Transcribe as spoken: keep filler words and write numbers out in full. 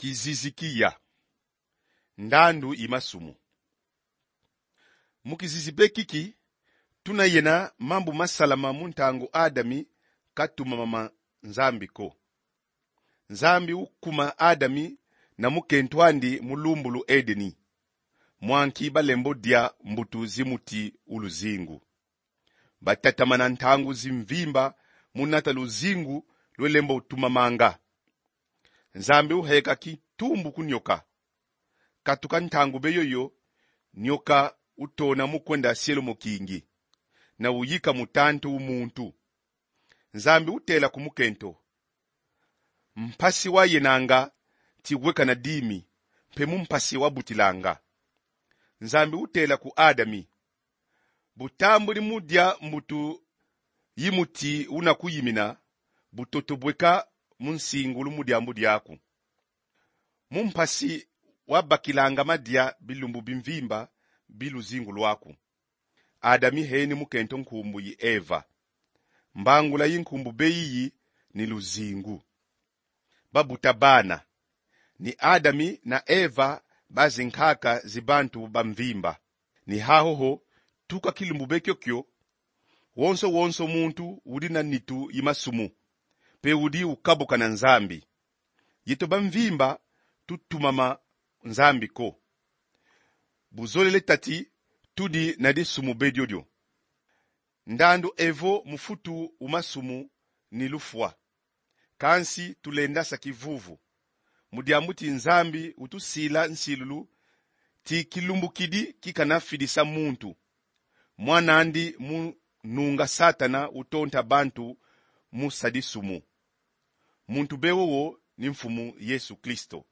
Kizizi ki ya ndandu yi masumu. Mu kizizi be kiki, tuna yena mambu masalama mu ntangu Adami katumama ma Nzambi ko. Nzambi ukuma Adami na mukento andi mu lumbu lu Edeni, mwanki balembo dia mbutu zi muti u luzingu. Batatamana ntangu zimvimba mu nata luzingu lwe lembo utumamanga. Nzambi uheka kitumbu ku nyoka. Katuka ntangu be yoyo, nyoka utona mu kwenda sielo mokingi, na uyika mutantu u muntu. Nzambi utela ku mukento: Mpasi wayenanga ti weka na dimi, mpe mu mpasi wabutilanga. Nzambi utela ku Adami: Bu tambudi mu dia mbutu yi muti una kuyimina, butoto bweka mu nsingulu mu diambu diaku. Mu mpasi wabakilanga madia bilumbu bimvimba bi luzingu lwaku. Adami heni mukento nkumbu yi Eva. Mbangula yi nkumbu be yiyi ni luzingu. Babuta bana. Ni Adami na Eva ba zinkaka zi bantu bamvimba. Ni haho ho, tuka kilumbu be kiokio, wonso wonso muntu udi na nitu yi masumu, mpe udi ukabuka na Nzambi. Yeto bamvimba tutumama Nzambi ko. Buzolele tati tudi na disumu be diodio. Ndandu evo mufutu u masumu ni lufwa. Kansi tulenda sa kivuvu, mu diambu ti Nzambi utusila nsilulu ti kilumbu kidi kikana fidisa muntu. Mwan'andi mu nunga Satana utonta bantu mu sa disumu. Muntu be wowo ni Mfumu Yesu Kristo.